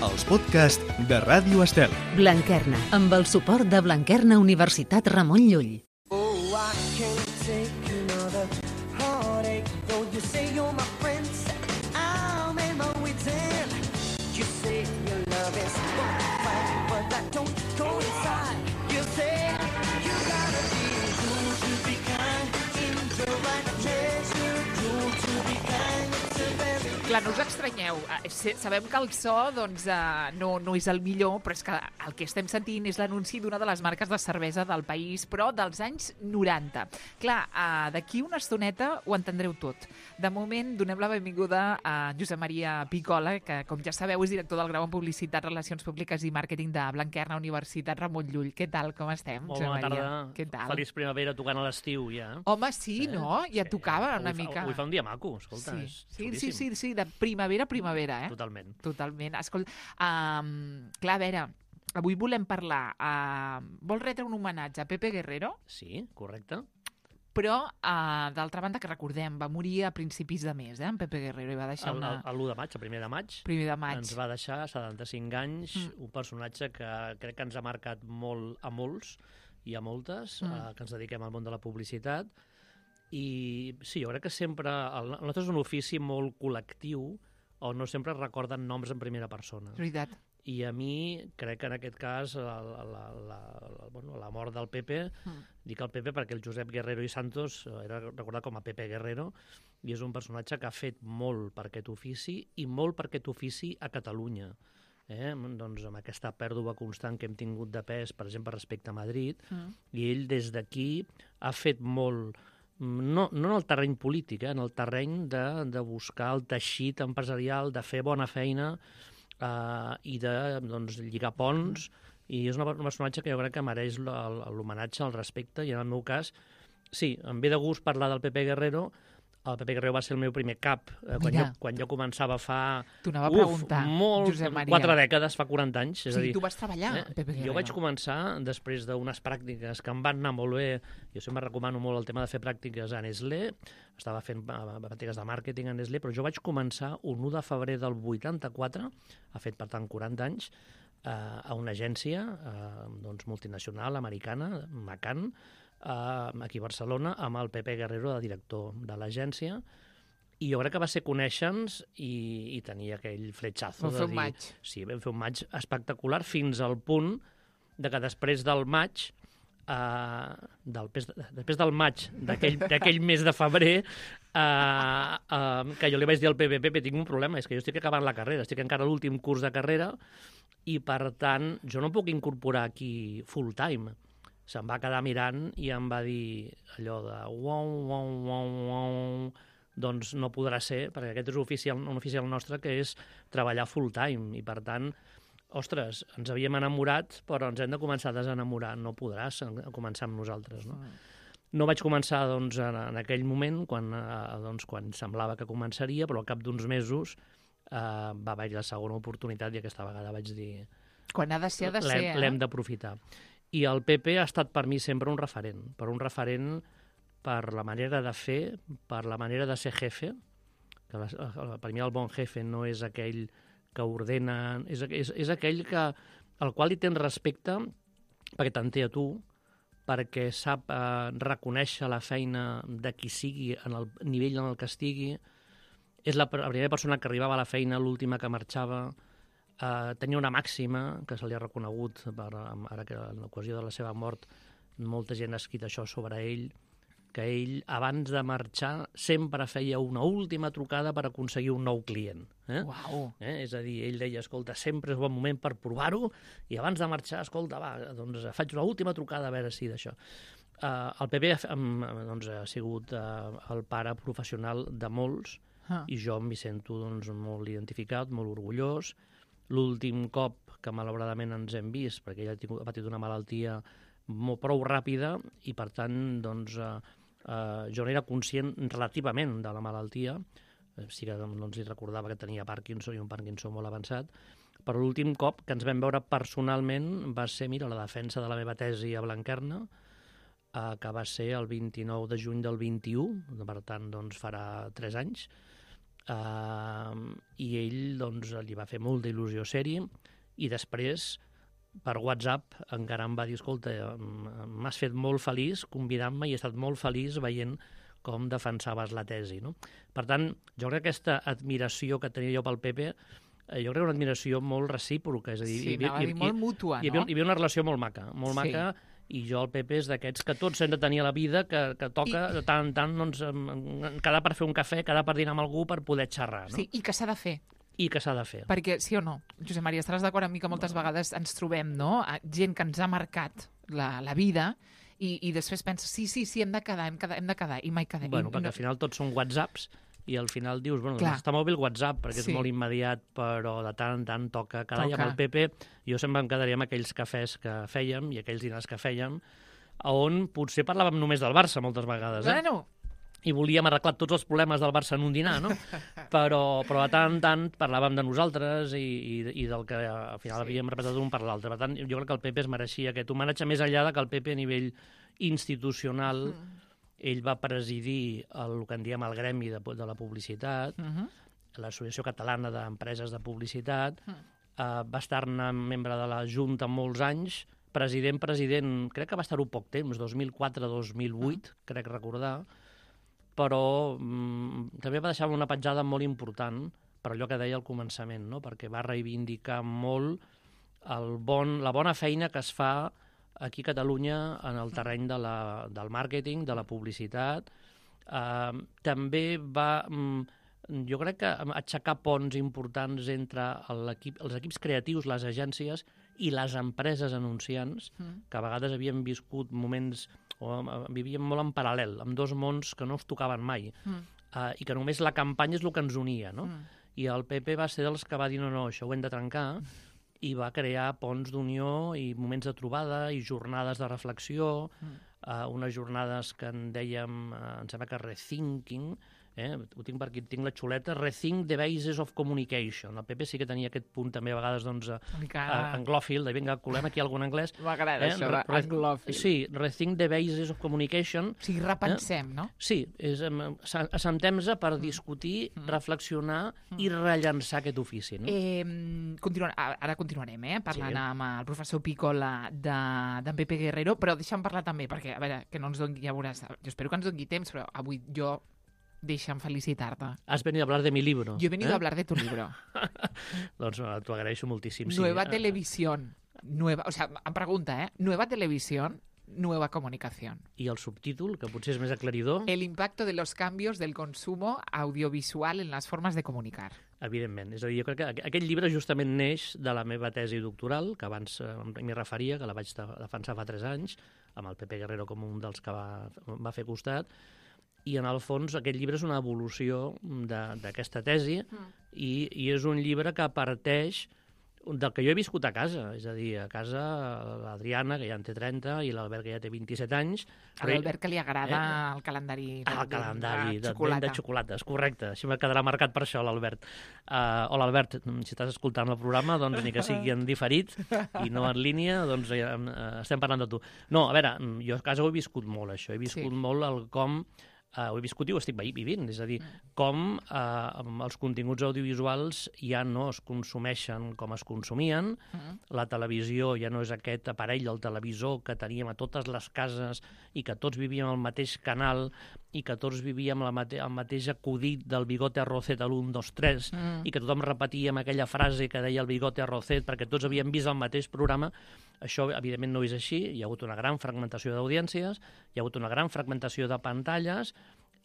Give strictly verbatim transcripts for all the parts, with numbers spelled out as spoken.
els podcasts de Ràdio Estel. Blanquerna, amb el suport de Blanquerna Universitat Ramon Llull. Oh, I can't take another heartache. Though you say you're my friend, I'll make my way ten. You say your love is fine, but that don't coincide. You say you gotta be cool to be kind, in the right measure, cool to be kind. It's a very... Clar, no us estranyeu. Sabem que el so doncs, no, no és el millor, però és que el que estem sentint és l'anunci d'una de les marques de cervesa del país, però dels anys noranta. Clar, d'aquí una estoneta ho entendreu tot. De moment, donem la benvinguda a Josep Maria Picola, que, com ja sabeu, és director del grau en Publicitat, Relacions Públiques i Màrqueting de Blanquerna Universitat Ramon Llull. Què tal, com estem, Molt bona tarda. Què tal? Feliç primavera tocant a l'estiu, ja. Home, sí, eh? no? Ja sí, tocava una avui mica. Fa, avui fa un dia maco, escolta, sí. és sí, sí, sí, sí, de primavera a primavera, eh? Totalment. Totalment. Escolta, um, clar, a veure, avui volem parlar... Uh, vols retre un homenatge a Pepe Guerrero? Sí, correcte. Però, uh, d'altra banda, que recordem, va morir a principis de mes, eh, en Pepe Guerrero, i va deixar una... l'u de maig, el primer de maig, primer de maig. Ens va deixar setanta-cinc anys, mm. un personatge que crec que ens ha marcat molt a molts i a moltes, mm. uh, que ens dediquem al món de la publicitat. I sí, jo crec que sempre... El, el nostre és un ofici molt col·lectiu, on no sempre es recorden noms en primera persona. És veritat. I a mi, crec que en aquest cas, la, la, la, la, bueno, la mort del Pepe, mm. dic el Pepe perquè el Josep Guerrero i Santos era recordat com a Pepe Guerrero, i és un personatge que ha fet molt per aquest ofici i molt per aquest ofici a Catalunya. Eh? Doncs amb aquesta pèrdua constant que hem tingut de pes, per exemple, respecte a Madrid, mm. i ell des d'aquí ha fet molt... No, no en el terreny polític, eh? En el terreny de, de buscar el teixit empresarial, de fer bona feina, Uh, i de doncs, lligar ponts, i és un personatge que jo crec que mereix l'homenatge, el respecte, i en el meu cas, sí, em ve de gust parlar del Pepe Guerrero. El Pepe Guerrero va ser el meu primer cap, eh, quan, jo, quan jo començava fa... T'ho anava a preguntar, molt, Josep Maria. Quatre dècades, fa quaranta anys. És sí, a dir, tu vas treballar, eh, Pepe Guerrero. Jo vaig començar, després d'unes pràctiques que em van anar molt bé, jo sempre recomano molt el tema de fer pràctiques a Nestlé, estava fent pràctiques de màrqueting a Nestlé, però jo vaig començar un u de febrer del vuitanta-quatre, ha fet per tant quaranta anys, eh, a una agència eh, doncs, multinacional americana, Macan, Uh, aquí a Barcelona, amb el Pepe Guerrero de director de l'agència, i jo crec que va ser conèixer-nos i, i tenir aquell fletxazo. Vam fer un maig. Sí, vam fer un maig espectacular, fins al punt de que després del maig, uh, del, després del maig d'aquell mes de febrer, uh, uh, que jo li vaig dir al Pepe, Pepe, tinc un problema, és que jo estic acabant la carrera, estic encara a l'últim curs de carrera, i per tant jo no puc incorporar aquí full time. Se'm va quedar mirant i em va dir allò de uau, uau, uau, uau, doncs no podrà ser, perquè aquest és un oficial, un oficial nostre que és treballar full time, i per tant, ostres, ens havíem enamorat, però ens hem de començar a desenamorar, no podràs començar amb nosaltres, no? No vaig començar doncs, en, en aquell moment, quan, eh, doncs, quan semblava que començaria, però al cap d'uns mesos eh, va haver-hi la segona oportunitat, i aquesta vegada vaig dir... Quan ha de ser, ha de ser, eh? L'hem d'aprofitar. I el Pepe ha estat per mi sempre un referent, per un referent per la manera de fer, per la manera de ser jefe, que la, per mi el bon jefe no és aquell que ordena, és, és, és aquell que, al qual li tens respecte perquè t'entén a tu, perquè sap eh, reconèixer la feina de qui sigui en el nivell en el que estigui, és la, la primera persona que arribava a la feina, l'última que marxava. Uh, tenia una màxima que se li ha reconegut, per, ara que en l'ocasió de la seva mort molta gent ha escrit això sobre ell, que ell abans de marxar sempre feia una última trucada per aconseguir un nou client. Eh? Uau. Eh? És a dir, ell deia, escolta, sempre és bon moment per provar-ho, i abans de marxar, escolta, va, doncs faig una última trucada a veure si d'això. Uh, el Pepe um, doncs, ha sigut uh, el pare professional de molts, ah. i jo m'hi sento doncs, molt identificat, molt orgullós. L'últim cop que malauradament ens hem vist, perquè ella ha patit una malaltia molt prou ràpida, i per tant doncs, eh, eh, jo no era conscient relativament de la malaltia, sí que doncs, li recordava que tenia Parkinson, i un Parkinson molt avançat, però l'últim cop que ens vam veure personalment va ser, mira, la defensa de la meva tesi a Blanquerna, eh, que va ser el vint-i-nou de juny del vint-i-u, per tant doncs, farà tres anys, uh, i ell doncs, li va fer molta il·lusió ser-hi, i després, per WhatsApp, encara em va dir, escolta, m'has fet molt feliç convidant-me i he estat molt feliç veient com defensaves la tesi. No? Per tant, jo crec que aquesta admiració que tenia jo pel Pepe, eh, jo crec que una admiració molt recíproca. És a dir, Sí, hi havia- anava a dir hi- molt hi- mútua, hi havia, no? hi havia una relació molt maca, molt Sí. maca, i jo el Pepe és d'aquests que tots hem de tenir a la vida, que, que toca de tant en tant doncs, em- em- quedar per fer un cafè, quedar per dinar amb algú per poder xerrar. No? Sí, i que s'ha de fer. I que s'ha de fer. Perquè, sí o no, Josep Maria, estaràs d'acord amb mi que moltes vegades ens trobem, no?, a gent que ens ha marcat la, la vida i, i després penses, sí, sí, sí, hem de quedar, hem, quedar, hem de quedar, i mai quedem. Bueno, I, perquè al final tots són whatsapps i al final dius, bueno, Clar. està molt bé el WhatsApp perquè Sí. és molt immediat, però de tant en tant toca quedar. I Toca. amb el Pepe jo sempre em quedaria amb aquells cafès que fèiem i aquells dinars que fèiem, on potser parlàvem només del Barça moltes vegades, eh? Bueno, I volíem arreglar tots els problemes del Barça en un dinar, no? però, però de tant en tant parlàvem de nosaltres i, i, i del que al final Sí. havíem repetit un per l'altre. Per tant, jo crec que el Pepe es mereixia aquest homenatge, més enllà de que el Pepe a nivell institucional Mm. ell va presidir el, el que en diem el gremi de, de la publicitat, uh -huh. l'Associació Catalana d'Empreses de Publicitat, Mm. eh, va estar-ne membre de la Junta molts anys, president, president, crec que va estar-ho poc temps, dos mil quatre a dos mil vuit, Mm. crec recordar, però mm, també va deixar una petjada molt important per allò que deia al començament, no? Perquè va reivindicar molt el bon, la bona feina que es fa aquí a Catalunya en el terreny de la, del màrqueting, de la publicitat. Eh, també va, mm, jo crec que aixecar ponts importants entre l'equip, els equips creatius, les agències i les empreses anunciants, Mm. que a vegades havien viscut moments, o eh, vivien molt en paral·lel, amb dos mons que no es tocaven mai, Mm. eh, i que només la campanya és el que ens unia, no? Mm. I el Pepe va ser dels que va dir no, no, això ho hem de trencar, i va crear ponts d'unió i moments de trobada i jornades de reflexió, Mm. eh, unes jornades que en dèiem, eh, em sembla que rethinking, eh? Ho tinc per aquí, tinc la xuleta, Rethink the Basis of Communication. El Pepe sí que tenia aquest punt també a vegades doncs, a, Una mica... a, anglòfil, de vinga, colem aquí algun anglès. M'agrada Eh, això, re- re- anglòfil. Sí, Rethink the Basis of Communication. O sigui, repensem, no? Sí, és, em, sa- assentem-nos per discutir, reflexionar i rellançar aquest ofici. No? Eh, continua, ara continuarem, eh, parlant Sí. amb el professor Pícola de- d'en Pepe Guerrero, però deixa'm parlar també, perquè, a veure, que no ens doni, ja veuràs, jo espero que ens doni temps, però avui jo deixa'm felicitar-te. Has venido a hablar de mi libro. Yo he venido eh? a hablar de tu libro. Doncs eh, t'ho agraeixo moltíssim. Sí. Nueva Eh, televisión. Nueva, o sea, em pregunta, ¿eh? Nueva televisión, nueva comunicación. I el subtítol, que potser és més aclaridor, El impacto de los cambios del consumo audiovisual en las formas de comunicar. evidentment. És a dir, jo crec que aqu- aquest llibre justament neix de la meva tesi doctoral, que abans eh, m'hi referia, que la vaig de- defensar fa tres anys, amb el Pepe Guerrero com un dels que va, va fer costat, i en el fons aquest llibre és una evolució de- d'aquesta tesi i, i és un llibre que parteix del que jo he viscut a casa, és a dir, a casa l'Adriana, que ja en té trenta, i l'Albert, que ja té vint-i-set anys. A l'Albert, que li agrada el calendari Ah, el de- calendari de de, xocolata. de, de xocolates, correcte. Així me quedarà marcat per això, l'Albert. Uh, hola, Albert, si estàs escoltant el programa, doncs ni que sigui en diferit i no en línia, doncs ja, uh, estem parlant de tu. No, a veure, jo a casa ho he viscut molt, això. He viscut Sí. molt el com... Uh, ho he viscut i ho estic veí- vivint, és a dir, com uh, els continguts audiovisuals ja no es consumeixen com es consumien, Mm. la televisió ja no és aquest aparell del televisor que teníem a totes les cases i que tots vivíem al mateix canal i que tots vivíem la mate el mateix acudit del bigote arrocet a l'un, dos, tres Mm. i que tothom repetíem aquella frase que deia el bigote arrocet perquè tots havíem vist el mateix programa. Això, evidentment, no és així. Hi ha hagut una gran fragmentació d'audiències, hi ha hagut una gran fragmentació de pantalles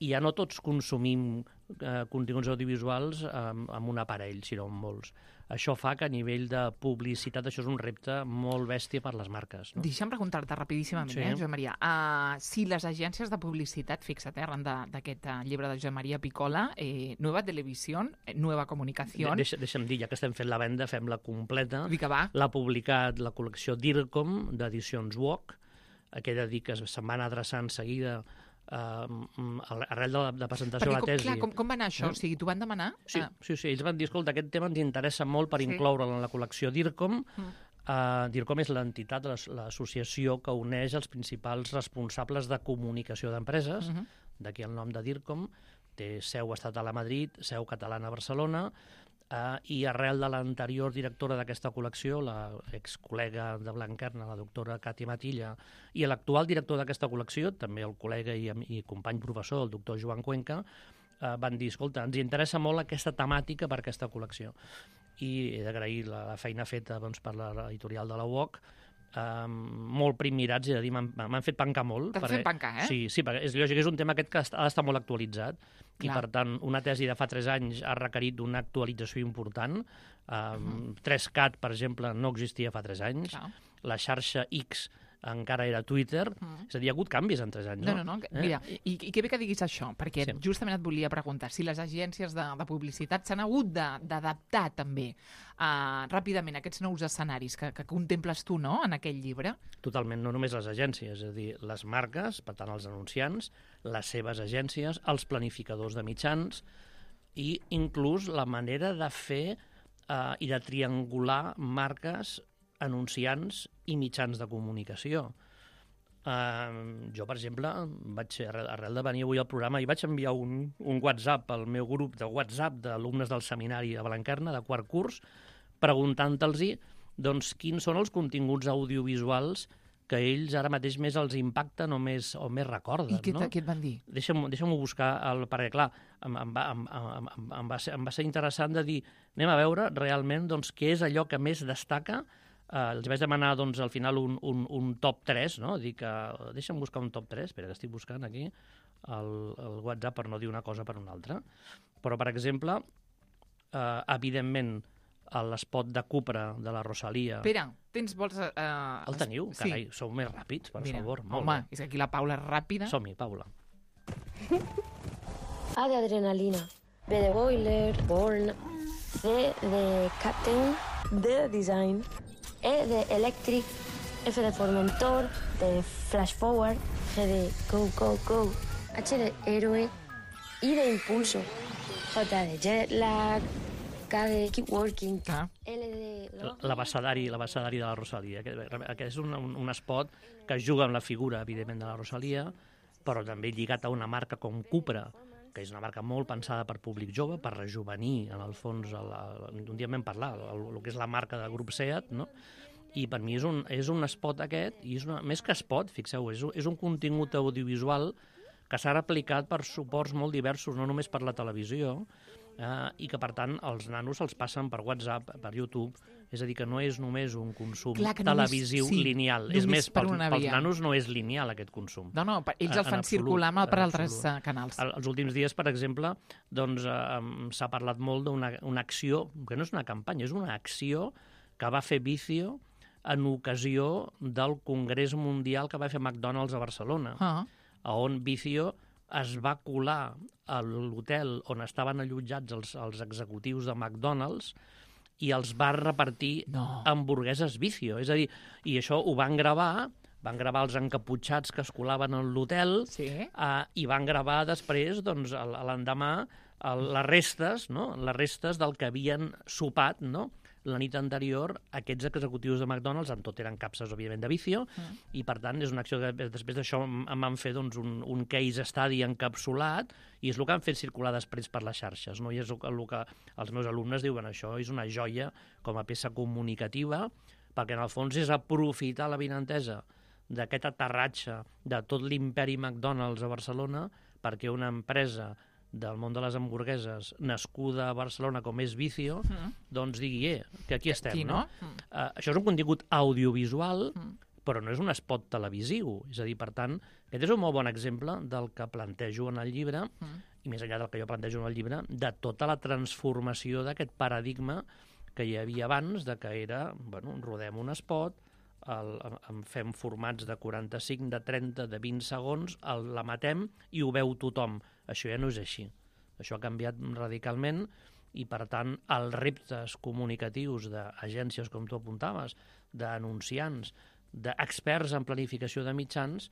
i ja no tots consumim eh, continguts audiovisuals eh, amb un aparell, sinó amb molts. Això fa que a nivell de publicitat això és un repte molt bèstia per les marques. No? Deixa'm preguntar-te rapidíssimament, Sí. eh, Josep Maria. Uh, si les agències de publicitat, fixa't, eh, arran de- d'aquest uh, llibre de Josep Maria Pícola, eh, Nueva Televisió, eh, Nueva Comunicació, Deixa, deixa'm dir, ja que estem fent la venda, fem-la completa. dic que va, L'ha publicat la col·lecció DIRCOM, d'edicions Walk, que he de dir que se'n van adreçar en seguida eh, arrel de la de presentació perquè de la com, tesi. clar, com, com va anar això? Eh? O sigui, t'ho van demanar? Sí, Ah, sí, sí, ells van dir, escolta, aquest tema ens interessa molt per Sí. incloure'l en la col·lecció DIRCOM. Mm. Uh, DIRCOM és l'entitat, l'as- l'associació que uneix els principals responsables de comunicació d'empreses, mhm. d'aquí el nom de DIRCOM, té seu estatal a Madrid, seu catalana a Barcelona, eh, i arrel de l'anterior directora d'aquesta col·lecció, la excol·lega de Blanquerna, la doctora Cati Matilla, i l'actual director d'aquesta col·lecció, també el col·lega i, i company professor, el doctor Joan Cuenca, eh, van dir, escolta, ens interessa molt aquesta temàtica per aquesta col·lecció. I he d'agrair la, la feina feta doncs, per l'editorial de la U O C, Uh, molt primirats, és a dir, m'han fet pencar molt. T'han fet pencar, eh? Sí, sí, perquè és lògic, és un tema aquest que ha d'estar molt actualitzat. Clar. I, per tant, una tesi de fa tres anys ha requerit una actualització important. Uh, uh-huh. tres cat, per exemple, no existia fa tres anys. Clar. La xarxa X encara era Twitter. Uh-huh. És a dir, hi ha hagut canvis en tres anys, no? No, no, no. Eh? Mira, i, i que bé que diguis això, perquè sí. justament et volia preguntar si les agències de, de publicitat s'han hagut d'adaptar també uh, ràpidament a aquests nous escenaris que, que contemples tu, no?, en aquell llibre. Totalment, no només les agències, és a dir, les marques, per tant, els anunciants, les seves agències, els planificadors de mitjans i inclús la manera de fer uh, i de triangular marques, anunciants i mitjans de comunicació. Uh, jo, per exemple, vaig, arrel, arrel de venir avui al programa, i vaig enviar un, un WhatsApp al meu grup de WhatsApp d'alumnes del seminari a Blanquerna, de quart curs, preguntant-los doncs, quins són els continguts audiovisuals que ells ara mateix més els impacten o més, o més recorden. I què, no? què et van dir? Deixa'm, deixa'm-ho buscar, el, perquè clar, em, em, va, em, em, em, va ser, em va ser interessant de dir, anem a veure realment doncs, què és allò que més destaca. Uh, els vaig demanar doncs, al final un, un, un top tres, no? Dic, uh, deixa'm buscar un top tres, espera que estic buscant aquí el, el WhatsApp per no dir una cosa per una altra. Però, per exemple, uh, evidentment, l'espot de Cupra de la Rosalia... Espera, tens, vols... Uh, el teniu? sí. Carai, sou més ràpids, per Mira, favor. Molt home, bé. és que aquí la Paula és ràpida. Som-hi, Paula. A de adrenalina, B de boiler, born, C de captain, D de design, E de electric, F de formentor, D de flash forward, G de go, go, go, H de héroe, I de impulso, J de jet lag, K de keep working, Ah. L de... L'abecedari, l'abecedari de la Rosalia. Aquest, aquest és un, un, un espot que juga amb la figura, evidentment, de la Rosalia, però també lligat a una marca com Cupra, que és una marca molt pensada per públic jove, per rejuvenir, en el fons, el, el, un dia vam parlar, el, el que és la marca de grup SEAT, no? I per mi és un, és un spot aquest, i és una, més que spot, fixeu, és, és un contingut audiovisual que s'ha replicat per suports molt diversos, no només per la televisió, eh, i que, per tant, els nanos se'ls passen per WhatsApp, per YouTube, és a dir, que no és només un consum Clar, que només- televisiu sí, lineal, només és més, per pels, una pels via. nanos no és lineal aquest consum. No, no, pa- ells En- el fan en circular absolut, per en altres absolut. eh, canals. El- Els últims dies, per exemple, doncs, eh, s'ha parlat molt d'una una acció, que no és una campanya, és una acció que va fer Vicio en ocasió del Congrés Mundial que va fer McDonald's a Barcelona, Ah. on Vicio es va colar a l'hotel on estaven allotjats els, els executius de McDonald's i els va repartir No. hamburgueses Vicio. És a dir, i això ho van gravar, van gravar els encaputxats que es colaven en l'hotel, Sí. Uh, i van gravar després, doncs, el- l'endemà, el- les restes, no? les restes del que havien sopat, no? la nit anterior, aquests executius de McDonald's, en tot eren capses, òbviament, de Vicio, mm. i, per tant, és una acció que després d'això em em van fer doncs, un, un case study encapsulat, i és el que han fet circular després per les xarxes, no? I és el, que- el que els meus alumnes diuen, això és una joia com a peça comunicativa, perquè, en el fons, és aprofitar la vinentesa d'aquest aterratge de tot l'imperi McDonald's a Barcelona perquè una empresa del món de les hamburgueses nascuda a Barcelona com és Vicio, Mm. doncs digui, eh, que aquí estem, Aquí, no? no? Mm. Uh, això és un contingut audiovisual, Mm. però no és un spot televisiu. És a dir, per tant, aquest és un molt bon exemple del que plantejo en el llibre, Mm. i més enllà del que jo plantejo en el llibre, de tota la transformació d'aquest paradigma que hi havia abans, de que era, bueno, rodem un spot, el, en fem formats de quaranta-cinc, de trenta, de vint segons, el, la matem i ho veu tothom. Això ja no és així. Això ha canviat radicalment i, per tant, els reptes comunicatius d'agències, com tu apuntaves, d'anunciants, d'experts en planificació de mitjans,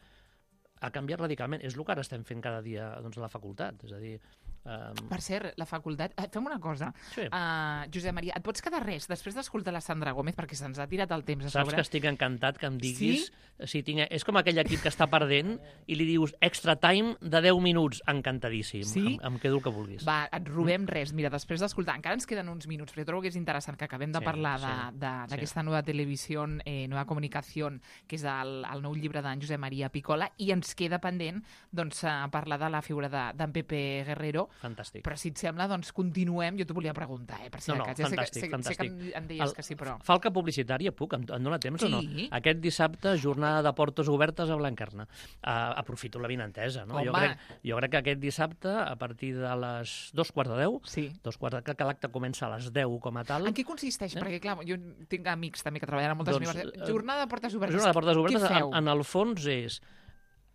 ha canviat radicalment. És el que ara estem fent cada dia doncs, a la facultat. És a dir, Um... Per cert, la facultat... Eh, fem una cosa. Sí. Uh, Josep Maria, et pots quedar res després d'escoltar la Sandra Gómez, perquè se'ns ha tirat el temps a Saps sobre. que estic encantat que em diguis... Sí? Si tinc... És com aquell equip que està perdent i li dius extra time de deu minuts. Encantadíssim. Sí? Em, em quedo el que vulguis. Va, et robem res. Mira, després d'escoltar... Encara ens queden uns minuts, però jo trobo que és interessant que acabem de Sí, parlar sí, d'aquesta sí. nova televisió, eh, nova comunicació, que és el, el nou llibre d'en Josep Maria Picola, i ens queda pendent doncs, eh, parlar de la figura d'en de, Pepe Guerrero. Fantàstic. Però si et sembla, doncs continuem. Jo t'ho volia preguntar, eh, per si No, de no, cas. Ja fantàstic, sé que, sé, fantàstic. sé que em, em deies El- que sí, però... Falca publicitària, puc? Em, em dóna temps Sí. o no? Aquest dissabte, jornada de portes obertes a Blanquerna. Uh, aprofito la vinentesa, no? Jo Home. crec, jo crec que aquest dissabte, a partir de les dos quarts de deu, Sí. dos quarts de, que l'acte comença a les deu com a tal. En què consisteix? Eh? Perquè, clar, jo tinc amics també que treballen a moltes Doncs, universitats. eh, Jornada de portes obertes. Jornada de portes obertes, Què en, feu? en el fons, és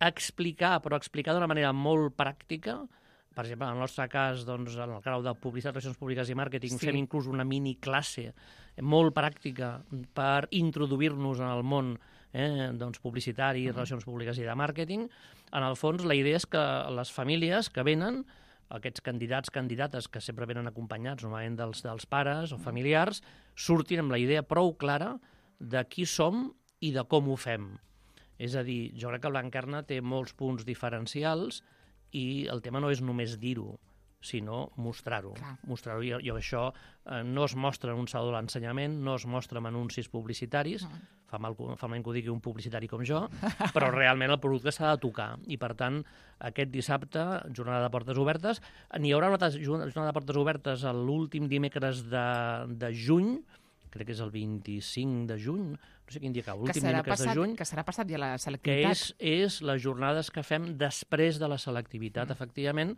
explicar, però explicar d'una manera molt pràctica. Per exemple, en el nostre cas, doncs, en el grau de Publicitat, Relacions Públiques i Màrqueting, Sí. fem inclús una mini classe molt pràctica per introduir-nos en el món eh, doncs, publicitari, uh -huh. relacions públiques i de màrqueting. En el fons, la idea és que les famílies que venen, aquests candidats, candidates que sempre venen acompanyats, normalment dels, dels pares o familiars, surtin amb la idea prou clara de qui som i de com ho fem. És a dir, jo crec que Blanquerna té molts punts diferencials i el tema no és només dir-ho, sinó mostrar-ho. Clar. Mostrar-ho. I, I això eh, no es mostra en un saló de l'ensenyament, no es mostra en anuncis publicitaris, Mm. fa mal, fa mal que ho digui un publicitari com jo, però realment el producte s'ha de tocar. I, per tant, aquest dissabte, jornada de portes obertes, n'hi haurà una altra jornada de portes obertes l'últim dimecres de, de juny, crec que és el vint-i-cinc de juny, no sé quin dia cau, que l'últim serà, dimecres passat, de juny, que serà passat ja la que selectivitat. és, és les jornades que fem després de la selectivitat, mm. efectivament,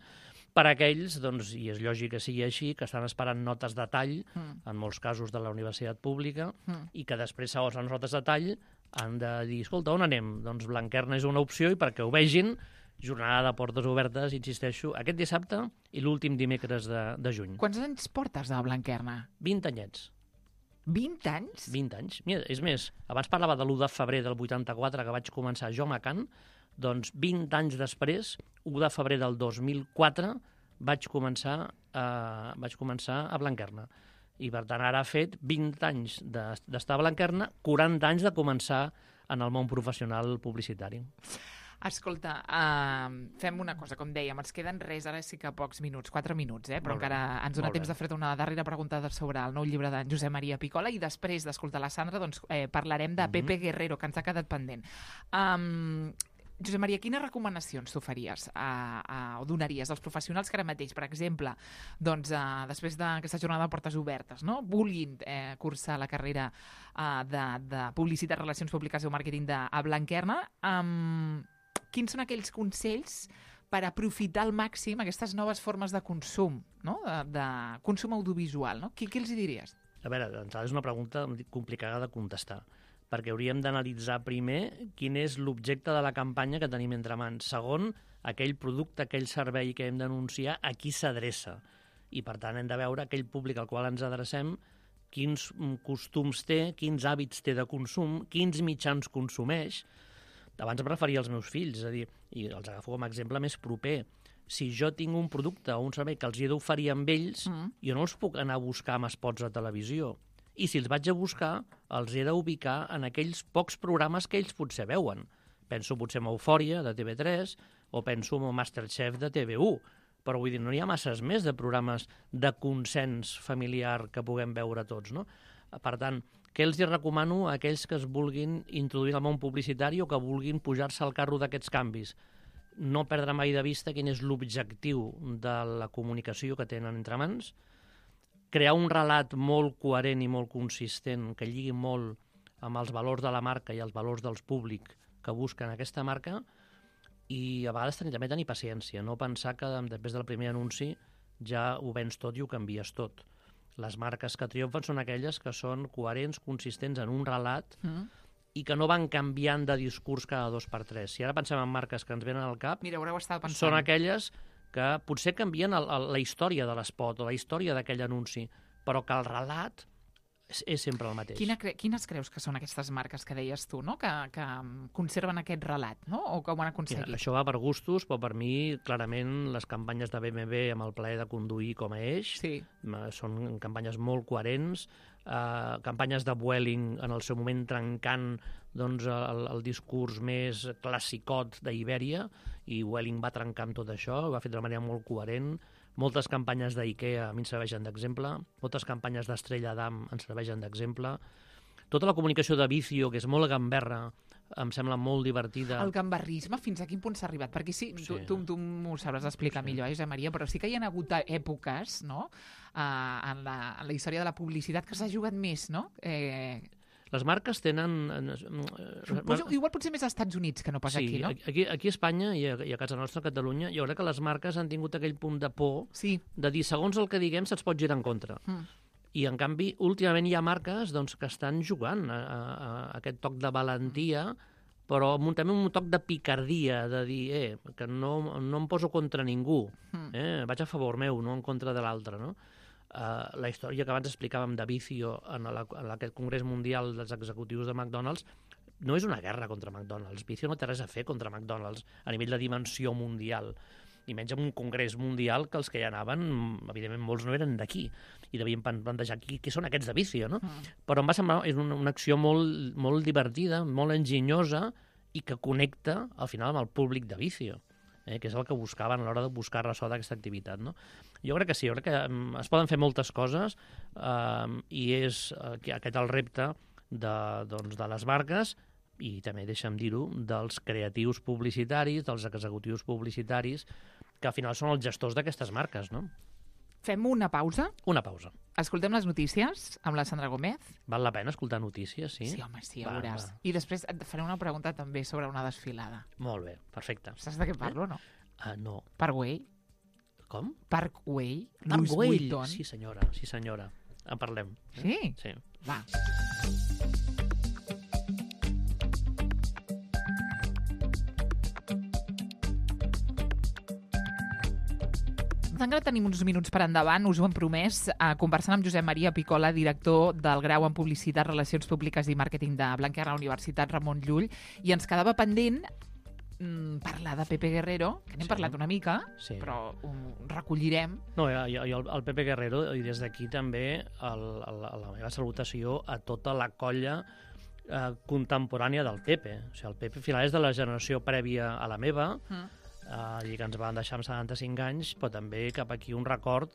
per a aquells, doncs, i és lògic que sigui així, que estan esperant notes de tall, Mm. en molts casos de la universitat pública, Mm. i que després, segons les notes de tall, han de dir, escolta, on anem? Doncs Blanquerna és una opció, i perquè ho vegin, jornada de portes obertes, insisteixo, aquest dissabte i l'últim dimecres de, de juny. Quants anys portes de Blanquerna? vint anyets. vint anys? vint anys. Mira, és més, abans parlava de l'u de febrer del vuitanta-quatre, que vaig començar jo a Macan, doncs vint anys després, u de febrer del dos mil quatre, vaig començar a, vaig començar a Blanquerna. I, per tant, ara ha fet vint anys de- d'estar a Blanquerna, quaranta anys de començar en el món professional publicitari. Escolta, uh, fem una cosa, com dèiem, ens queden res, ara sí que pocs minuts, quatre minuts, eh? però Molt bé, encara ens dona molt temps bé. de fer una darrera pregunta sobre el nou llibre d'en Josep Maria Picola, i després d'escoltar la Sandra doncs, eh, parlarem de Mhm. Pepe Guerrero, que ens ha quedat pendent. Um, Josep Maria, quines recomanacions tu faries a, a, o donaries als professionals que ara mateix, per exemple, doncs, uh, després d'aquesta jornada de portes obertes, no? vulguin eh, cursar la carrera uh, de, de Publicitat, Relacions Públiques i Màrqueting de, a Blanquerna, um, quins són aquells consells per aprofitar al màxim aquestes noves formes de consum, no? de, de consum audiovisual? No? Què, què els hi diries? A veure, d'entrada és una pregunta complicada de contestar, perquè hauríem d'analitzar primer quin és l'objecte de la campanya que tenim entre mans. Segon, aquell producte, aquell servei que hem d'anunciar, a qui s'adreça. I, per tant, hem de veure aquell públic al qual ens adrecem, quins costums té, quins hàbits té de consum, quins mitjans consumeix. Abans em referia als meus fills, és a dir, i els agafo com a exemple més proper. Si jo tinc un producte o un servei que els hi he d'oferir amb ells, Mm. jo no els puc anar a buscar amb spots a televisió. I si els vaig a buscar, els he d'ubicar en aquells pocs programes que ells potser veuen. Penso potser en Eufòria, de T V tres, o penso en Masterchef, de T V u. Però vull dir, no hi ha masses més de programes de consens familiar que puguem veure tots, no? Per tant, què els hi recomano a aquells que es vulguin introduir al món publicitari o que vulguin pujar-se al carro d'aquests canvis? No perdre mai de vista quin és l'objectiu de la comunicació que tenen entre mans, crear un relat molt coherent i molt consistent que lligui molt amb els valors de la marca i els valors dels públics que busquen aquesta marca, i a vegades tenir, també tenir paciència, no pensar que després del primer anunci ja ho vens tot i ho canvies tot. Les marques que triomfen són aquelles que són coherents, consistents en un relat Mm. i que no van canviant de discurs cada dos per tres. Si ara pensem en marques que ens venen al cap, Mira, ho estava pensant. són aquelles que potser canvien el, el, la història de l'espot o la història d'aquell anunci, però que el relat és, és sempre el mateix. Quina cre quines creus que són aquestes marques que deies tu, no? que, que conserven aquest relat, no? O com ho han aconseguit? Mira, això va per gustos, però per mi, clarament, les campanyes de B M W amb el plaer de conduir com a eix Sí. són campanyes molt coherents, eh, campanyes de Vueling en el seu moment trencant doncs, el, el discurs més classicot d'Ibèria, i Vueling va trencar amb tot això, ho va fer d'una manera molt coherent. Moltes campanyes d'IKEA a mi ens serveixen d'exemple, moltes campanyes d'Estrella d'Am ens serveixen d'exemple. Tota la comunicació de Vicio, que és molt gamberra, em sembla molt divertida. El gambarrisme, fins a quin punt s'ha arribat? Perquè sí, tu, Sí. tu, tu m'ho sabràs explicar Sí. millor, eh, Josep Maria, però sí que hi ha hagut èpoques, no?, uh, en, la, en la història de la publicitat que s'ha jugat més, no? Eh, Les marques tenen... eh, suposo, igual potser més als Estats Units que no pas sí, aquí, no? aquí, aquí a Espanya i a, i a casa nostra, a Catalunya, jo crec que les marques han tingut aquell punt de por Sí. de dir, segons el que diguem, se'ns pot girar en contra. Mm. I, en canvi, últimament hi ha marques doncs, que estan jugant a, a, a aquest toc de valentia, però amb un, també un toc de picardia, de dir, eh, que no, no em poso contra ningú, Mm. eh, vaig a favor meu, no en contra de l'altre, no? Uh, la història que abans explicàvem de Vicio en, la, en aquest Congrés Mundial dels Executius de McDonald's no és una guerra contra McDonald's. Vicio no té res a fer contra McDonald's a nivell de dimensió mundial, i menys en un congrés mundial que els que hi anaven, evidentment molts no eren d'aquí, i devien plantejar qui, qui són aquests de Vicio, no? Mm. Però em va semblar és una, una acció molt, molt divertida, molt enginyosa, i que connecta al final amb el públic de Vicio, eh, que és el que buscaven a l'hora de buscar ressò d'aquesta activitat, no? Jo crec que sí, jo crec que um, es poden fer moltes coses, um, i és uh, aquest el repte de, doncs, de les marques, i també, deixa'm dir-ho, dels creatius publicitaris, dels executius publicitaris, que al final són els gestors d'aquestes marques, no? Fem una pausa, Una pausa. escoltem les notícies amb la Sandra Gómez. Val la pena escoltar notícies, sí? Sí, home, sí, ja Va, veuràs. va. I després et faré una pregunta també sobre una desfilada. Molt bé, perfecte. Saps de què parlo, no? Uh, no. Parkway. Com? Parkway. Louis Parkway. Vuitton. Sí, senyora, sí, senyora. En parlem. eh? Sí? Sí. Va. Encara tenim uns minuts per endavant, us ho hem promès, eh, conversant amb Josep Maria Picola, director del grau en Publicitat, Relacions Públiques i Màrqueting de Blanquerna Universitat Ramon Llull, i ens quedava pendent mm, parlar de Pepe Guerrero, que n'hem Sí. parlat una mica, Sí. però ho recollirem. No, i, i el, el Pepe Guerrero, i des d'aquí també el, el, la meva salutació a tota la colla eh, contemporània del Pepe. O sigui, el Pepe al final és de la generació prèvia a la meva, Mm. eh, i que ens van deixar amb setanta-cinc anys, però també cap aquí un record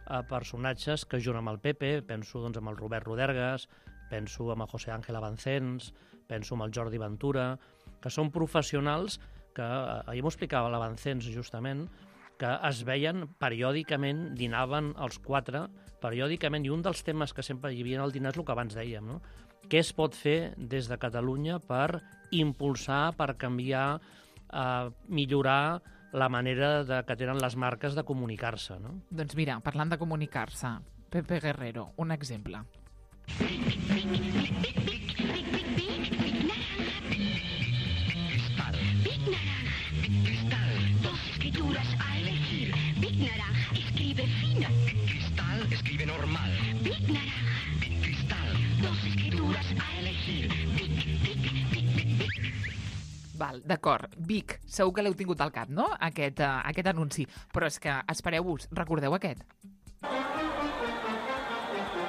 a personatges que junt amb el Pepe, penso doncs, amb el Robert Rodergas, penso amb el José Ángel Avancens, penso amb el Jordi Ventura, que són professionals que, eh, ahir m'ho explicava l'Avancens justament, que es veien periòdicament, dinaven els quatre, periòdicament, i un dels temes que sempre hi havia al dinar és el que abans dèiem, no? Què es pot fer des de Catalunya per impulsar, per canviar, eh, millorar la manera de, que tenen les marques de comunicar-se, no? Doncs mira, parlant de comunicar-se, Pepe Guerrero, un exemple. Dos escrituras a elegir. Big Naranja escribe fino. Cristal escribe normal. Big Naranja. Cristal. Dos escrituras a elegir. Big, big, big, big, big. Val, d'acord. Vic, segur que l'heu tingut al cap, no?, aquest, uh, aquest anunci. Però és que, espereu-vos, recordeu aquest?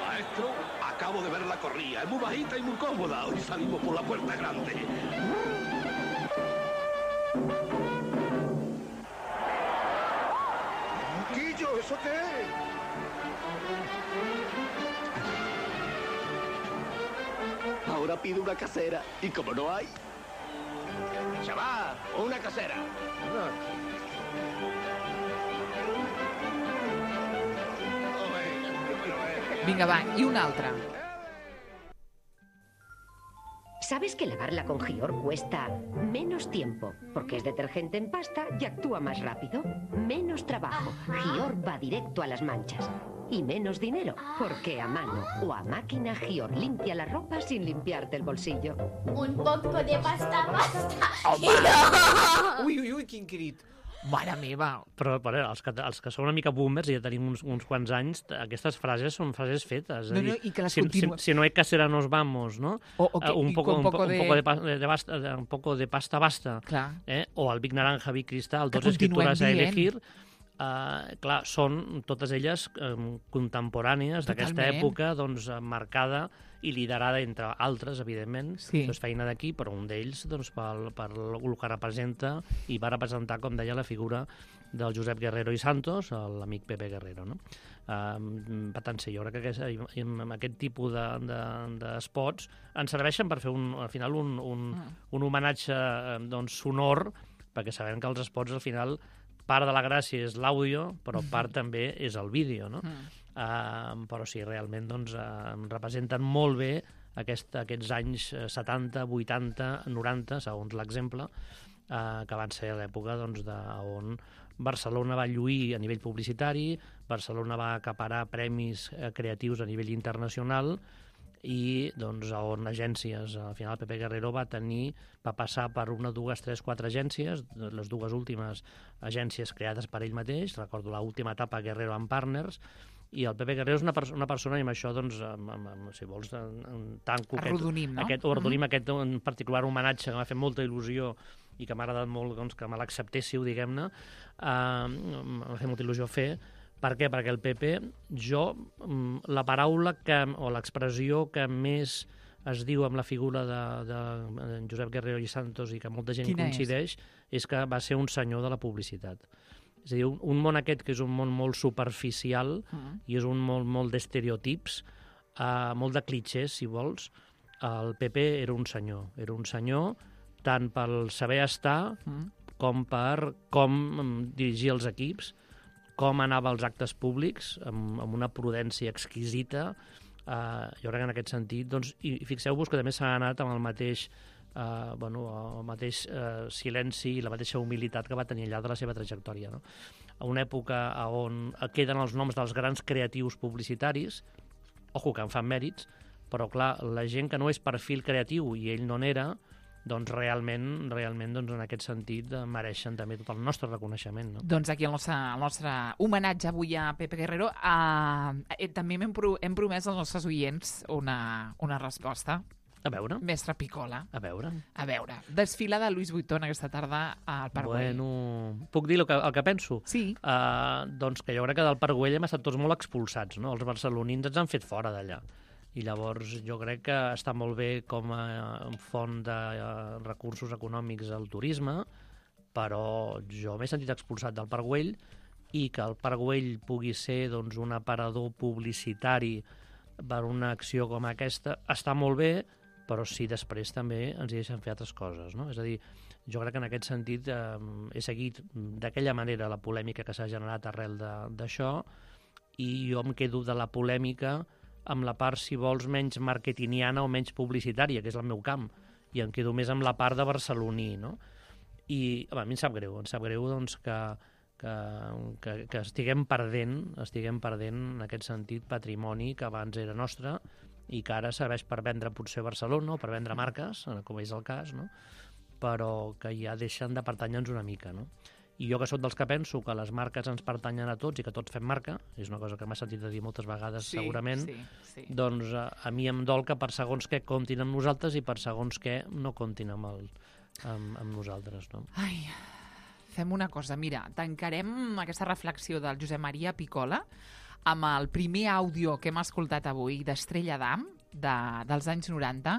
Maestro, acabo de ver la corrida. Es muy bajita y muy cómoda. Hoy salimos por la puerta grande. Quillo, ¿eso qué es? Ahora pido una casera. Y como no hay... Chaval, una casera. Vinga, va, i un altre. ¿Sabes que lavarla con Gior cuesta menos tiempo? Porque es detergente en pasta y actúa más rápido. Menos trabajo. Gior va directo a las manchas. Y menos dinero, porque a mano o a máquina Gior limpia la ropa sin limpiarte el bolsillo. Un poco de pasta basta. Ui, ui, ui, quin crit. Mare meva! Però, però els, que, els que són una mica boomers, i ja tenim uns, uns quants anys, aquestes frases són frases fetes. No, no, i que les si, continuen. Si, si no hay casera nos vamos, no? O, o que, uh, un, poco, un, poco un, de... un, poco de, pa- de basta, de, un poco de pasta basta. Clar. Eh? O el Big Naranja, Big Cristal, Que tots escriptures a continuem elegir. Uh, clar, són totes elles um, contemporànies d'aquesta Totalment. època, doncs, marcada i liderada, entre altres, evidentment. Sí. Doncs feina d'aquí, però un d'ells, doncs, pel, per el que representa, i va representar, com deia, la figura del Josep Guerrero i Santos, l'amic Pepe Guerrero, no? Um, per tant, sí, jo crec que aquest, aquest tipus de, de, de spots ens serveixen per fer, un, al final, un, un, Mm. un homenatge doncs, sonor, perquè sabem que els spots, al final, part de la gràcia és l'àudio, però part també és el vídeo, no? Mm. Uh, però sí, realment doncs, uh, representen molt bé aquest, aquests anys setanta, vuitanta, noranta, segons l'exemple, uh, que van ser l'època doncs, de, on Barcelona va lluir a nivell publicitari, Barcelona va acaparar premis uh, creatius a nivell internacional, i doncs, on agències, al final Pepe Guerrero va tenir, va passar per una, dues, tres, quatre agències, les dues últimes agències creades per ell mateix, recordo l'última etapa Guerrero and Partners, i el Pepe Guerrero és una, perso una persona, i amb això, doncs, amb, amb, amb, si vols, tanco Arrodonim, no? aquest, o arrodonim, mm-hmm. aquest en particular homenatge que m'ha fet molta il·lusió i que m'ha agradat molt doncs, que me l'acceptéssiu, diguem-ne, uh, m'ha fet molta il·lusió fer. Per què? Perquè el Pepe, jo, la paraula que, o l'expressió que més es diu amb la figura de, de Josep Guerrero i Santos i que molta gent Quina coincideix, és? és que va ser un senyor de la publicitat. És a dir, un, un món aquest que és un món molt superficial mm. i és un món molt d'estereotips, uh, molt de clitxers, si vols, el Pepe era un senyor. Era un senyor tant pel saber estar mm. com per com dirigir els equips, com anava als actes públics, amb, amb una prudència exquisita. Uh, jo crec que en aquest sentit, doncs, i fixeu-vos que també s'ha anat amb el mateix, uh, bueno, el mateix uh, silenci i la mateixa humilitat que va tenir allà de la seva trajectòria, no? A una època on queden els noms dels grans creatius publicitaris, ojo, que en fan mèrits, però clar, la gent que no és perfil creatiu i ell no n'era, doncs realment, realment doncs en aquest sentit mereixen també tot el nostre reconeixement. No? Doncs aquí el nostre, el nostre homenatge avui a Pepe Guerrero. Uh, eh, també hem, pro, hem promès als nostres oients una, una resposta. A veure. Mestre Picola. A veure. A veure. Desfila de Louis Vuitton aquesta tarda al Parc Güell. Bueno, puc dir el que, el que penso? Sí. Uh, doncs que jo crec que del Parc Güell hem estat tots molt expulsats, no? Els barcelonins ens han fet fora d'allà. I llavors jo crec que està molt bé com a font de recursos econòmics al turisme, però jo m'he sentit expulsat del Parc Güell, i que el Parc Güell pugui ser doncs, un aparador publicitari per una acció com aquesta està molt bé, però sí després també ens hi deixen fer altres coses, no? És a dir, jo crec que en aquest sentit eh, he seguit d'aquella manera la polèmica que s'ha generat arrel d'això, i jo em quedo de la polèmica amb la part, si vols, menys marketingiana o menys publicitària, que és el meu camp, i em quedo més amb la part de barceloní, no? I home, a mi em sap greu, em sap greu doncs, que, que, que, que estiguem perdent, estiguem perdent en aquest sentit patrimoni que abans era nostre i que ara serveix per vendre potser Barcelona o per vendre marques, com és el cas, no? Però que ja deixen de pertànyer-nos una mica, no? I jo que soc dels que penso que les marques ens pertanyen a tots i que tots fem marca, és una cosa que m'ha sentit a dir moltes vegades sí, segurament, sí, sí. doncs a, a mi em dol que per segons què comptin amb nosaltres i per segons què no comptin amb, el, amb, amb nosaltres. No? Ai, fem una cosa, mira, tancarem aquesta reflexió del Josep Maria Picola amb el primer àudio que hem escoltat avui d'Estrella d'Am, de, dels anys noranta.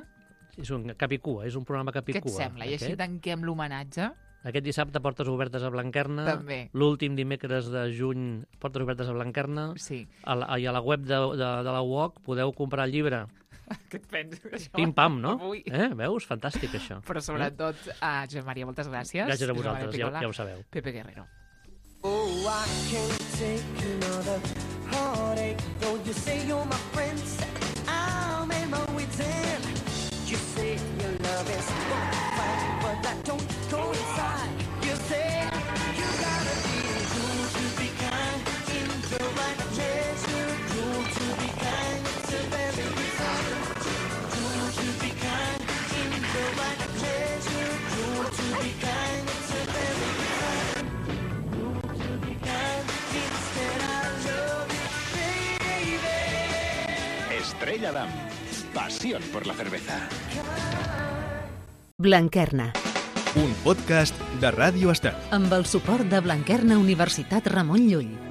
És un capicua, és un programa capicua. Què et sembla? I així tanquem l'homenatge. Aquest dissabte, Portes Obertes a Blanquerna. També. L'últim dimecres de juny, Portes Obertes a Blanquerna. Sí. A la, I a la web de, de, de la U O C podeu comprar el llibre. Què et penses? Això? Pim-pam, no? Avui. Eh? Veus? Fantàstic, això. Però sobretot, eh? a Josep Maria, moltes gràcies. Gràcies a vosaltres, ja, ja ho sabeu. Pepe Guerrero. Oh, I can't take another heartache. Though you say you're my friend, I'll make my way down. You say your love is fine, but that don't coincide. You say you gotta be cool to be kind, in the right measure. Cool to be kind, it's a very good sign. Cool to be kind, in the right measure. Cool to be kind, it's a very good sign. Estrella Damm. Pasión por la cerveza. Blanquerna, Un podcast de Ràdio Estel. amb el suport de Blanquerna Universitat Ramon Llull.